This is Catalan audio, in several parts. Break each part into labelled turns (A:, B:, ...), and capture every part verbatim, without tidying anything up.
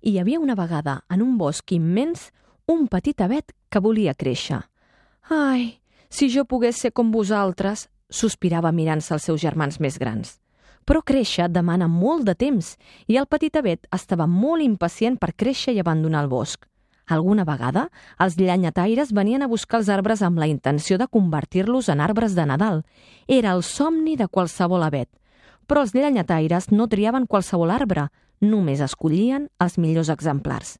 A: Hi havia una vegada, en un bosc immens, un petit avet que volia créixer. «Ai, si jo pogués ser com vosaltres», sospirava mirant-se els seus germans més grans. Però créixer demana molt de temps i el petit avet estava molt impacient per créixer i abandonar el bosc. Alguna vegada, els llenyataires venien a buscar els arbres amb la intenció de convertir-los en arbres de Nadal. Era el somni de qualsevol avet. Però els llenyataires no triaven qualsevol arbre, només escollien els millors exemplars.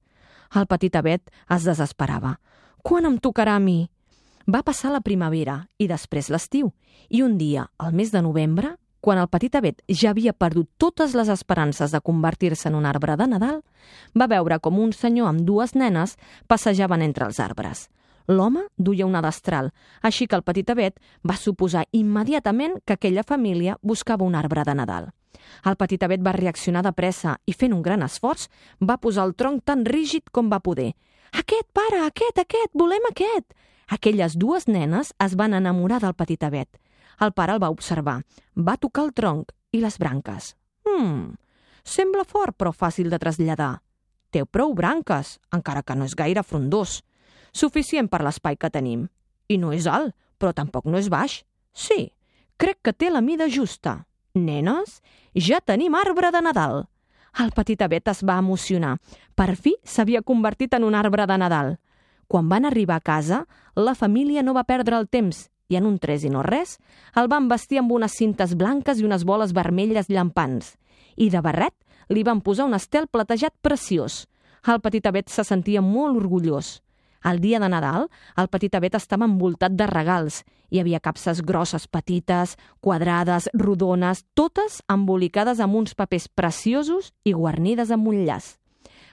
A: El petit avet es desesperava. «Quan em tocarà a mi?» Va passar la primavera i després l'estiu, i un dia, al mes de novembre, quan el petit avet ja havia perdut totes les esperances de convertir-se en un arbre de Nadal, va veure com un senyor amb dues nenes passejaven entre els arbres. L'home duia una destral, així que el petit avet va suposar immediatament que aquella família buscava un arbre de Nadal. El petit avet va reaccionar de pressa i, fent un gran esforç, va posar el tronc tan rígid com va poder. «Aquest, pare, aquest, aquest, volem aquest!» Aquelles dues nenes es van enamorar del petit avet. El pare el va observar, va tocar el tronc i les branques. «Hmm, sembla fort però fàcil de traslladar. Té prou branques, encara que no és gaire frondós. Suficient per l'espai que tenim. I no és alt, però tampoc no és baix. Sí, crec que té la mida justa. Nenes, ja tenim arbre de Nadal!» El petit avet es va emocionar. Per fi s'havia convertit en un arbre de Nadal. Quan van arribar a casa, la família no va perdre el temps i en un tres i no res el van vestir amb unes cintes blanques i unes boles vermelles llampants. I de barret li van posar un estel platejat preciós. El petit avet se sentia molt orgullós. El dia de Nadal, el petit avet estava envoltat de regals. Hi havia capses grosses, petites, quadrades, rodones, totes embolicades amb uns papers preciosos i guarnides amb un llaç.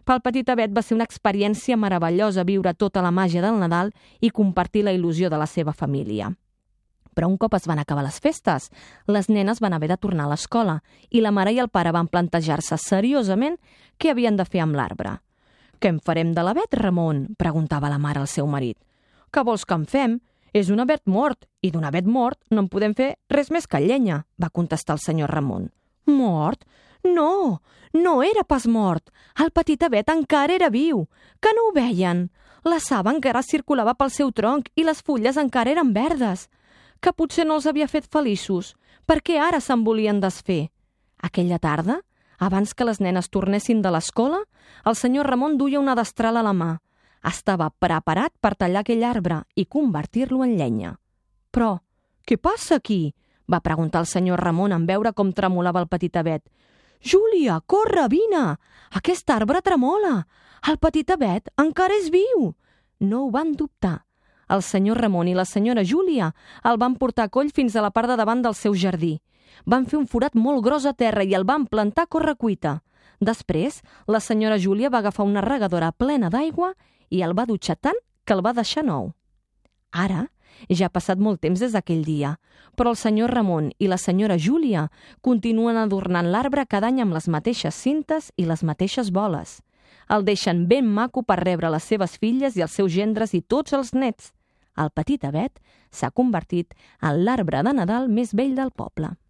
A: Pel petit avet va ser una experiència meravellosa viure tota la màgia del Nadal i compartir la il·lusió de la seva família. Però un cop es van acabar les festes, les nenes van haver de tornar a l'escola i la mare i el pare van plantejar-se seriosament què havien de fer amb l'arbre. «Què en farem de l'avet, Ramon?», preguntava la mare al seu marit. «Què vols que en fem? És un avet mort, i d'un avet mort no en podem fer res més que llenya», va contestar el senyor Ramon. «Mort? No, no era pas mort. El petit avet encara era viu. Que no ho veien? La saba encara circulava pel seu tronc i les fulles encara eren verdes. Que potser no els havia fet feliços, perquè ara se'n volien desfer». Aquella tarda, abans que les nenes tornessin de l'escola, el senyor Ramon duia una destral a la mà. Estava preparat per tallar aquell arbre i convertir-lo en llenya. «Però, què passa aquí?», va preguntar el senyor Ramon en veure com tremolava el petit avet. «Júlia, corre, vine! Aquest arbre tremola! El petit avet encara és viu!» No ho van dubtar. El senyor Ramon i la senyora Júlia el van portar a coll fins a la part de davant del seu jardí. Van fer un forat molt gros a terra i el van plantar a correcuita. Després, la senyora Júlia va agafar una regadora plena d'aigua i el va dutxar tant que el va deixar nou. Ara, ja ha passat molt temps des d'aquell dia, però el senyor Ramon i la senyora Júlia continuen adornant l'arbre cada any amb les mateixes cintes i les mateixes boles. El deixen ben maco per rebre les seves filles i els seus gendres i tots els nets. El petit avet s'ha convertit en l'arbre de Nadal més vell del poble.